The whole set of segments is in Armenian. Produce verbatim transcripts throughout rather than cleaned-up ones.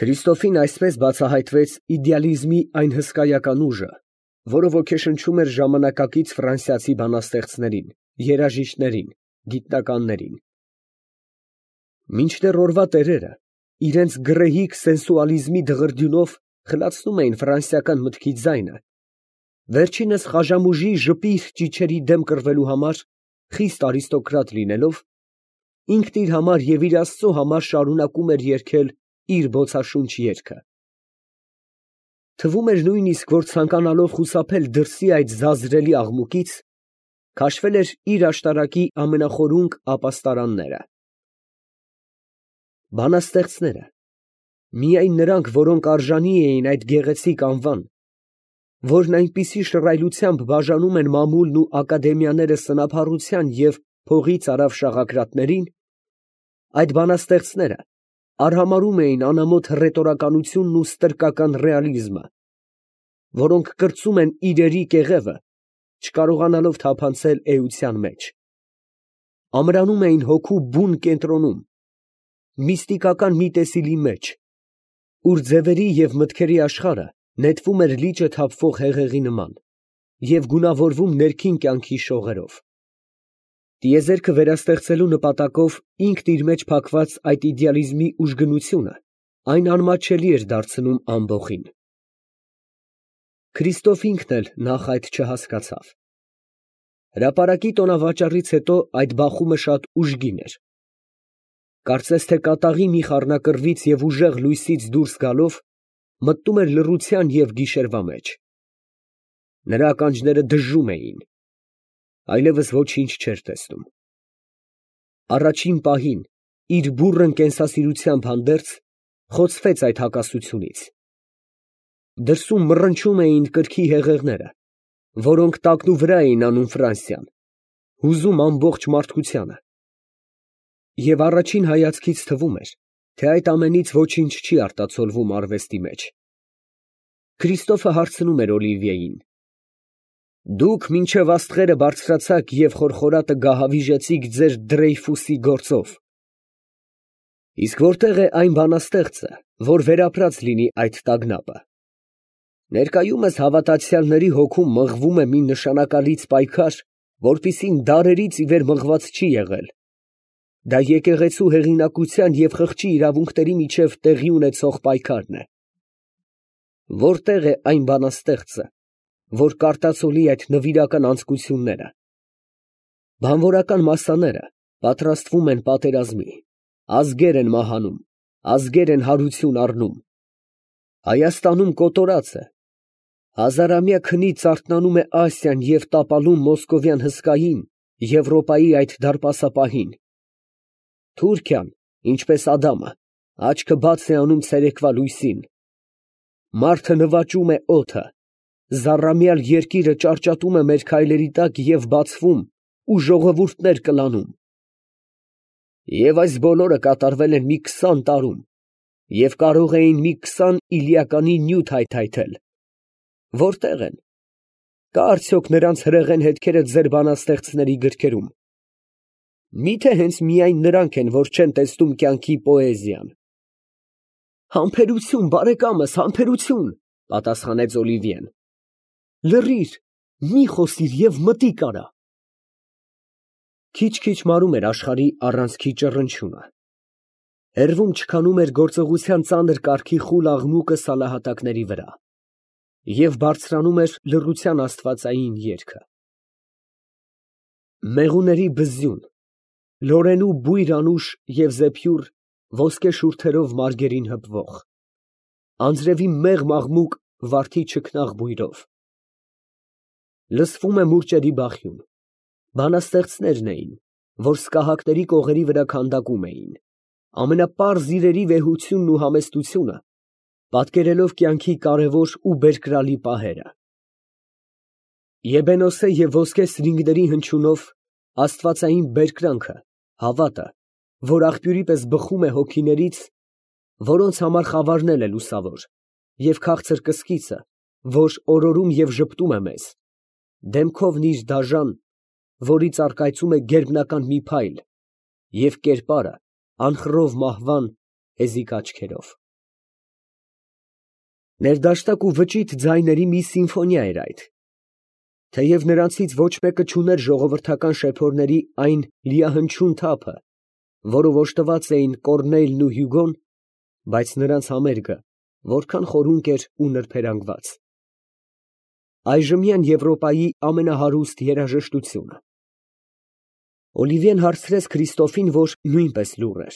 Քրիստոֆին այսպես բացահայտվեց իդեալիզմի այն հսկայական ուժը, որը ոգեշնչում էր ժամանակակից ֆրանսիացի բանաստեղծներին, երաժիշտներին, գիտնականներին։ Մինչդեռ օրվա տերերը իրենց գռեհիկ սենսուալիզմի դղրդյունով խլացնում էին ֆրանսիական մտքի ձայնը, վերջինս խաժամուժի ժպիր ճիչերի դեմ կռվելու համար, խիստ արիստոկրատ լինելով, ինքն իր համար և իր Աստծո համար շարունակում էր երգել իր բոցաշունչ երգը։ Թվում էր նույնիսկ, որ ցանկանալով խուսափել դրսի այդ զազրելի աղմուկից, քաշվել էր իր աշտարակի ամենախորունկ ապաստարանները։ Բանաստեղծները, միայն նրանք, որոնք արժանի էին այդ գեղեցիկ անվան, որն այնպիսի շռայլությամբ բաժանում են մամուլն ու ակադեմիաները սնափառության և փողի ծարավ շաղակրատներին, այդ բանաստեղծները արհամարհում էին անամոթ հռետորականությունն ու ստրկական ռեալիզմը, որոնք կրծում են իրերի կեղևը, չկարողանալով թափանցել էության մեջ, ամրանում էին հոգու բուն կենտրոնում, միստիկական մի տեսիլի մեջ, ուր ձևերի և մտքերի աշխարհը նետվում էր լիճը թափվող հեղեղի նման և գունավորվում ներքին կյանքի շողերով։ Տիեզերքը վերաստեղծելու նպատակով ինքն իր մեջ փակված այդ իդեալիզմի ուժգնությունը այն անմատչելի էր դարձնում ամբոխին։ Քրիստոֆ ինքն էլ նախ այդ չհասկացավ։ Հրապարակի տոնավաճառից հետո այդ բախումը շատ ուժգին էր։ Կարծես թե կատաղի մի խառնակռվից և ուժեղ լույսից դուրս գալով, մտնում էր լռության և գիշերվա մեջ։ Նրա ականջները դժում էին, այլևս ոչինչ չէր տեսնում։ Առաջին պահին, իր բուռն կենսասիրությամբ հանդերձ, խոցվեց այդ հակասությունից։ Դրսում մռնչում էին կրքի հեղեղները, որոնք տակնուվրա էին անում Ֆրանսիան, հուզում ամբողջ մարդկությանը։ Եվ առաջին հայացքից թվում էր, թե այդ ամենից ոչինչ չի արտացոլվում արվեստի մեջ։ Քրիստոֆը հարցնում էր Օլիվիեին. «Դուք մինչև աստղերը բարձրացաք և խորխորատը գահավիժեցիք ձեր Դրեյֆուսի գործով. իսկ որտե՞ղ է այն բանաստեղծը, որ վերապրած լինի այդ տագնապը։ Ներկայումս հավատացյալների հոգում մղվում է մի նշանակալից պայքար, որպիսին դարերից ի վեր մղված չի եղել. դա եկեղեցու հեղինակության և խղճի իրավունքների միջև տեղի ունեցող պայքարն է։ Որտե՞ղ է այն բանաստեղծը, որ կարտացոլի այդ նվիրական անձկությունները։ Բանվորական մասսաները պատրաստվում են պատերազմի, ազգեր են մահանում, ազգեր են հարություն առնում։ Հայաստանում կոտորած է, հազարամյա քնից արթնանում է Ասիան և տապալում մոսկովյան հսկային, Եվրոպայի այդ դարպասապահին։ Թուրքիան, ինչպես Ադամը, աչքը բաց է անում ցերեկվա լույսին։ Մարդը նվաճում է օդը, զառամյալ երկիրը ճարճատում է մեր քայլերի տակ և բացվում ու ժողովուրդներ կլանում։ Եվ այս բոլորը կատարվել են մի քսան տարում, և կարող էին մի քսան իլիականի նյութ հայթայթել։ Որտե՞ղ են։ Կա՞ արդյոք նրանց հրեղեն հետքերը ձեր բանաստեղծների գրքերում։ Մի՞թե հենց միայն նրանք են, որ չեն տեսնում կյանքի պոեզիան։ Համբերություն, բարեկամս, համբերություն, պատասխանեց Օլիվիեն։ Լռիր, մի խոսիր և մտիկ արա։ Քիչ֊քիչ մարում էր աշխարհի առանցքի ճռնչյունը։ Հեռվում չքանում էր գործողության ծանր կարգի խուլ աղմուկը սալահատակների վրա, և բարձրանում էր լռության աստվածային երգը։ Մեղուների բզյուն, լորենու բույր անուշ և զեփյուռ ոսկե շուրթերով մարգերին հպվող, անձրևի մեղմ աղմուկ վարդի չքնաղ բույրով։ Լսվում է մուրճերի բախյուն, բանաստեղծներն էին, որ սկահակների կողերի վրա քանդակում էին, ամենապարզ իրերի վեհությունն ու համեստությունը, պատկերելով կյանքի կարևոր ու բերկրալի պահերը։ Եբենոսե և ոսկե սրինգների հնչյունով աստվածային բերկրանքը, հավատը, որ աղբյուրի պես բխում է հոգիներից, որոնց համար խավարն էլ է լուսավոր, և քաղցր կսկիծը, որ օրորում և ժպտում է մեզ, դեմքով նիր դաժան, որից առկայծում է գերբնական մի փայլ, և կերպարը անխռով մահվան հեզիկ աչքերով։ Ներդաշտակ ու վճիտ ձայների մի սիմֆոնիա էր այդ։ Թեև նրանցից ոչ մեկը չուներ ժողովրդական շեփորների այն լիահնչուն թափը, որով օժտված էին Կոռնեյլն ու Հյուգոն, բայց նրանց համերգը որքան խորունկ էր ու նրբերանգված։ Այժմյան Եվրոպայի ամենահարուստ երաժշտությունը։ Օլիվիեն հարցրեց Քրիստոֆին, որ նույնպես լուռ էր.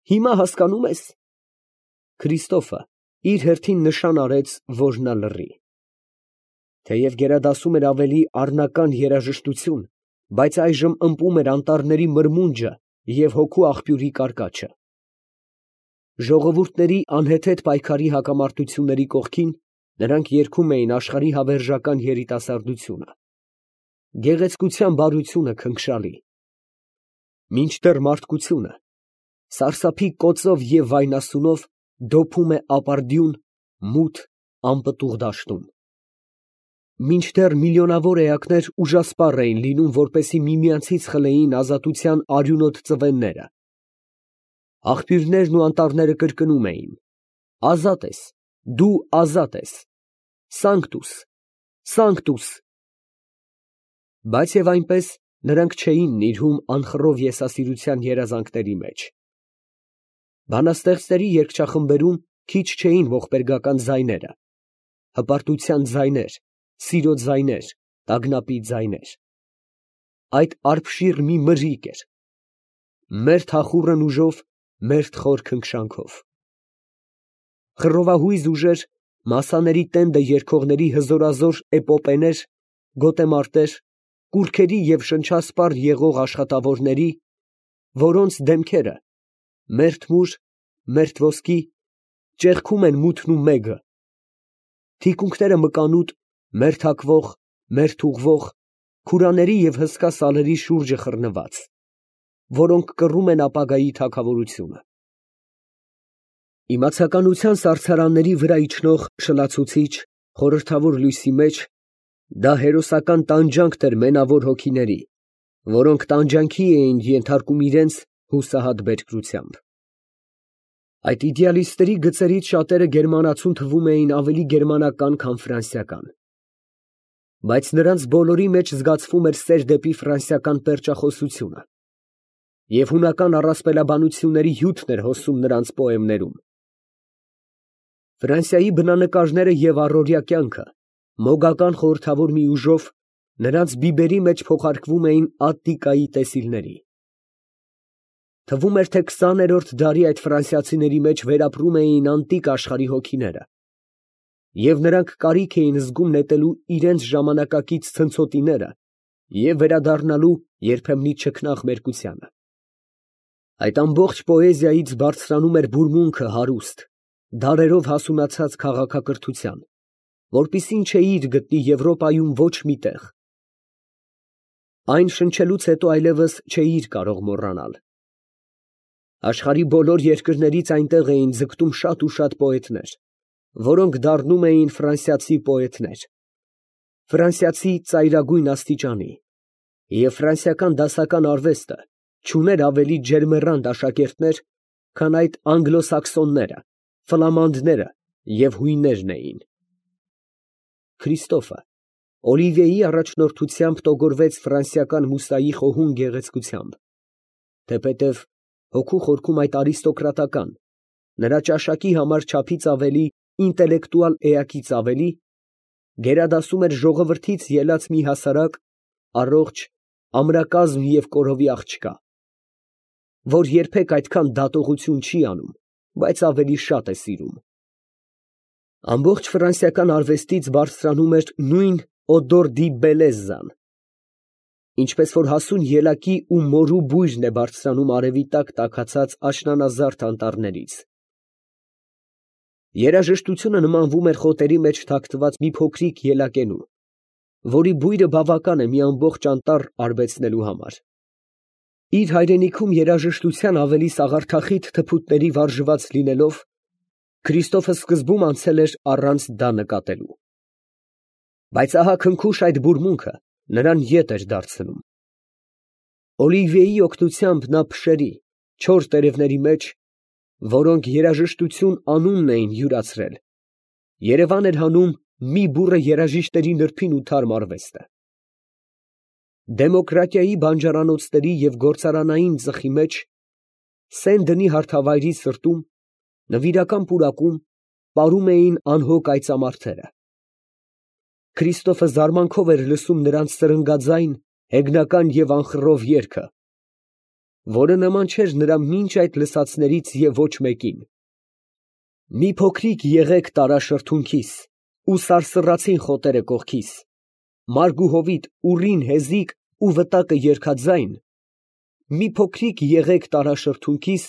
Հիմա հասկանում ես։ Քրիստոֆը իր հերթին նշան արեց, որ նա լռի։ Թեև գերադասում էր ավելի առնական երաժշտություն, բայց այժմ ըմպում էր անտառների մրմունջը և հոգու աղբյուրի կարկաչը։ Ժողովուրդների անհեթեթ պայքարի հակամարտությունների կողքին նրանք երգում էին աշխարհի հավերժական երիտասարդությունը, գեղեցկության բարությունը քնքշալի, մինչդեռ մարդկությունը սարսափի կոծով և վայնասունով դոփում է ապարդյուն, մութ, անպտուղ դաշտում, մինչդեռ միլիոնավոր էակներ ուժասպառ էին լինում, որպեսզի միմյանցից խլեին ազատության արյունոտ ծվենները, աղբյուրներն ու անտառները կրկնում էին. ազատ ես, դու ազատ ես, Սանկտուս, Սանկտուս։ Բայց և այնպես նրանք չէին նիրհում անխռով եսասիրության երազանքների մեջ։ Բանաստեղծների երգչախմբերում քիչ չէին ողբերգական ձայները, հպարտության ձայներ, սիրո ձայներ, տագնապի ձայներ։ Այդ արբշիր մի մրրիկ էր, մերթ հախուռն ուժով, մերթ խոր քնքշանքով։ Խռովահույզ ուժեր, մասաների տենդը երգողների հզորազոր էպոպեներ, գոտեմարտեր, կուռքերի և շնչասպառ եղող աշխատավորների, որոնց դեմքերը մերթ մուր, մերթ ոսկի, ճեղքում են մութն ու մեգը, թիկունքները մկանուտ, մերթ հագվող, մերթ ուղղվող, քուրաների և հսկա սալերի շուրջը խռնված, որոնք կռում են ապագայի թագավորությունը։ Իմացականության սառցարանների վրա իջնող շլացուցիչ, խորհրդավոր լույսի մեջ դա հերոսական տանջանքն էր մենավոր հոգիների, որոնք տանջանքի էին ենթարկում իրենց հուսահատ բերկրությամբ։ Այդ իդեալիստների գծերից շատերը գերմանացուն թվում էին ավելի գերմանական, քան ֆրանսիական, բայց նրանց բոլորի մեջ զգացվում էր սեր դեպի ֆրանսիական պերճախոսությունը, և հունական առասպելաբանությունների հյութն էր հոսում նրանց պոեմներում։ Ֆրանսիայի բնանկարները և առօրյա կյանքը մոգական խորհրդավոր մի ուժով նրանց բիբերի մեջ փոխարկվում էին Ատտիկայի տեսիլների։ Թվում էր, թե քսաներորդ դարի այդ ֆրանսիացիների մեջ վերապրում էին անտիկ աշխարհի հոգիները, և նրանք կարիք էին զգում նետելու իրենց ժամանակակից ցնցոտիները և վերադառնալու երբեմնի չքնաղ մերկությանը։ Այդ ամբողջ պոեզիայից բարձրանում էր բուրմունքը հարուստ, դարերով հասունացած քաղաքակրթության, որպիսին չէիր գտնի Եվրոպայում ոչ մի տեղ։ Այն շնչելուց հետո այլևս չէիր կարող մոռանալ։ Աշխարհի բոլոր երկրներից այնտեղ էին ձգտում շատ ու շատ պոետներ, որոնք դառնում էին ֆրանսիացի պոետներ, ֆրանսիացի ծայրագույն աստիճանի, և ֆրանսիական դասական արվեստը չուներ ավելի ջերմեռանդ աշակերտներ, քան այդ անգլոսաքսոնները, ֆլամանդները և հույներն էին։ Քրիստոֆը Օլիվիեի առաջնորդությամբ տոգորվեց ֆրանսիական մուսայի խոհուն գեղեցկությամբ, թեպետև հոգու խորքում այդ արիստոկրատական, նրա ճաշակի համար չափից ավելի ինտելեկտուալ էակից ավելի, գերադասում էր ժողովրդից ելած մի հասարակ, առողջ, ամրակազմ և կորովի աղջկա, որ երբեք այդքան դատողություն չի անում, բայց ավելի շատ է սիրում։ Ամբողջ ֆրանսիական արվեստից բարձրանում էր նույն օդոր դի բելեզան, ինչպես որ հասուն ելակի ու մորու բույրն է բարձրանում արևի տակ տաքացած աշնանազարդ անտառներից։ Երաժշտությունը նմանվում էր խոտերի մեջ թաքնված մի փոքրիկ ելակենու, որի բույրը բավական է մի ամբողջ անտառ արբեցնելու համար։ Իր հայրենիքում երաժշտության ավելի սաղարթախիտ թփուտների վարժված լինելով, Քրիստոֆը սկզբում անցել էր առանց դա նկատելու։ Բայց ահա քնքուշ այդ բուրմունքը նրան ետ էր դարձնում։ Օլիվիեի օգնությամբ նա փշերի, չոր տերևների մեջ, որոնք երաժշտություն անունն էին յուրացրել, Երևան էր հանում մի բուռը երաժիշտերի նրբին ու թարմ արվեստը։ Դեմոկրատիայի բանջարանոցների և գործարանային ծխի մեջ, սեն դնի հարթավայրի սրտում, նվիրական պուրակում պարում էին անհոգ այծամարտերը։ Քրիստոֆը զարմանքով էր լսում նրանց սրնգաձայն, հեգնական և անխռով երգը, որը նման չէր նրա մինչ այդ լսածներից և ոչ մեկին։ Մի փոքրիկ եղեք տարաշրթունքիս, ու սարսռացին խոտերը կողքիս, մարգ ու հովիտ, ուռին, հեզիկ ու վտակը երգաձայն, մի փոքրիկ եղեք տարաշրթունքիս,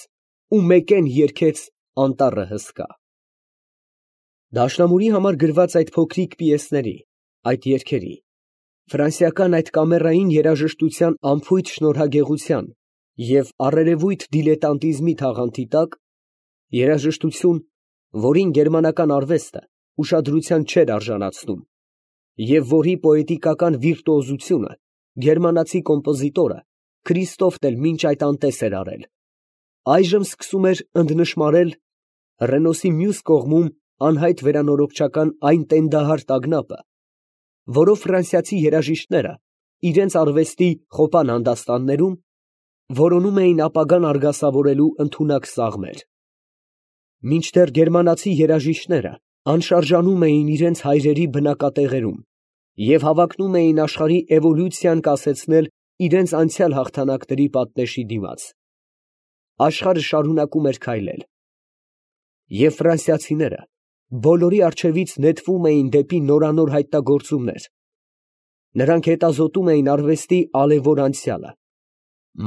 ու մեկեն երգեց անտառը հսկա։ Դաշնամուրի համար գրված այդ փոքրիկ պիեսների, այդ երգերի, ֆրանսիական այդ կամերային երաժշտության անփույթ շնորհագեղության և առերևույթ դիլետանտիզմի թաղանթի տակ, երաժշտություն, որին գերմանական արվեստը ուշադրության չէր արժանացնում, և որի պոետիկական վիրտուոզությունը գերմանացի կոմպոզիտորը Քրիստոֆն էլ մինչ այդ անտես էր արել, այժմ սկսում էր ընդնշմարել Ռենոսի մյուս կողմում անհայտ վերանորոգչական այն տենդահար տագնապը, որով ֆրանսիացի երաժիշտները իրենց արվեստի խոպան հանդաստաններում որոնում էին ապագան արգասավորելու ընդունակ սաղմեր, մինչդեռ գերմանացի երաժիշտները անշարժանում էին իրենց հայրերի բնակատեղերում և հավակնում էին աշխարհի էվոլյուցիան կասեցնել իրենց անցյալ հաղթանակների պատնեշի դիմաց, աշխարհը շարունակում էր քայլել, և ֆրանսիացիները բոլորի առջևից նետվում էին դեպի նորանոր հայտնագործումներ, նրանք հետազոտում էին արվեստի ալեւոր անցյալը,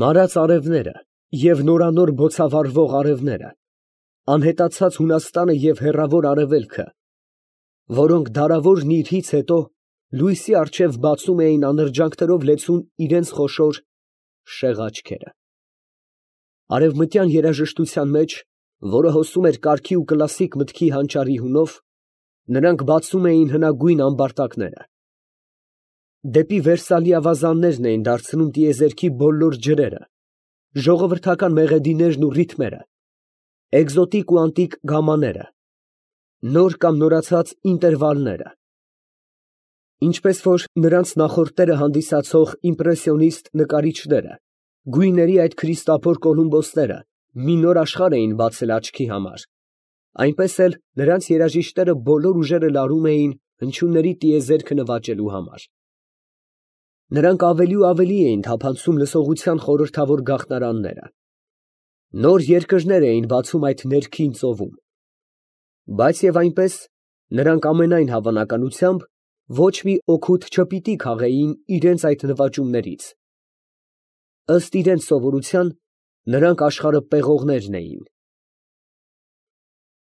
մարած արևները և նորանոր բոցավառվող արևները, անհետացած Հունաստանը և հեռավոր Արևելքը, որոնք դարավոր նիրհից հետո լույսի առջև բացում էին անրջանքներով լեցուն իրենց խոշոր շեղ աչքերը։ Արևմտյան երաժշտության մեջ, որը հոսում էր կարգի ու կլասիկ մտքի հանճարի հունով, նրանք բացում էին հնագույն ամբարտակները։ Դեպի Վերսալի ավազաններն էին դարձնում տիեզերքի բոլոր ջրերը, ժողովրդական մեղեդիներն ու ռիթմերը, էկզոտիկ ու անտիկ գամմաները, նոր կամ նորացած ինտերվալները, ինչպես որ նրանց նախորդները հանդիսացող իմպրեսիոնիստ նկարիչները, գույների այդ քրիստափոր կոլումբոսները մի նոր աշխարհ էին բացել աչքի համար, այնպես էլ նրանց երաժիշտները բոլոր ուժերը լարում էին հնչյունների տիեզերքը նվաճելու համար։ Նրանք ավելի ու ավելի էին թափանցում լսողության խորհրդավոր գաղտնարանները, նոր երկրներ էին բացում այդ ներքին ծովում, բայց և այնպես նրանք ամենայն հավանականությամբ ոչ մի օգուտ չպիտի քաղեին իրենց այդ նվաճումներից, ըստ իրենց սովորության նրանք աշխարհը պեղողներն էին։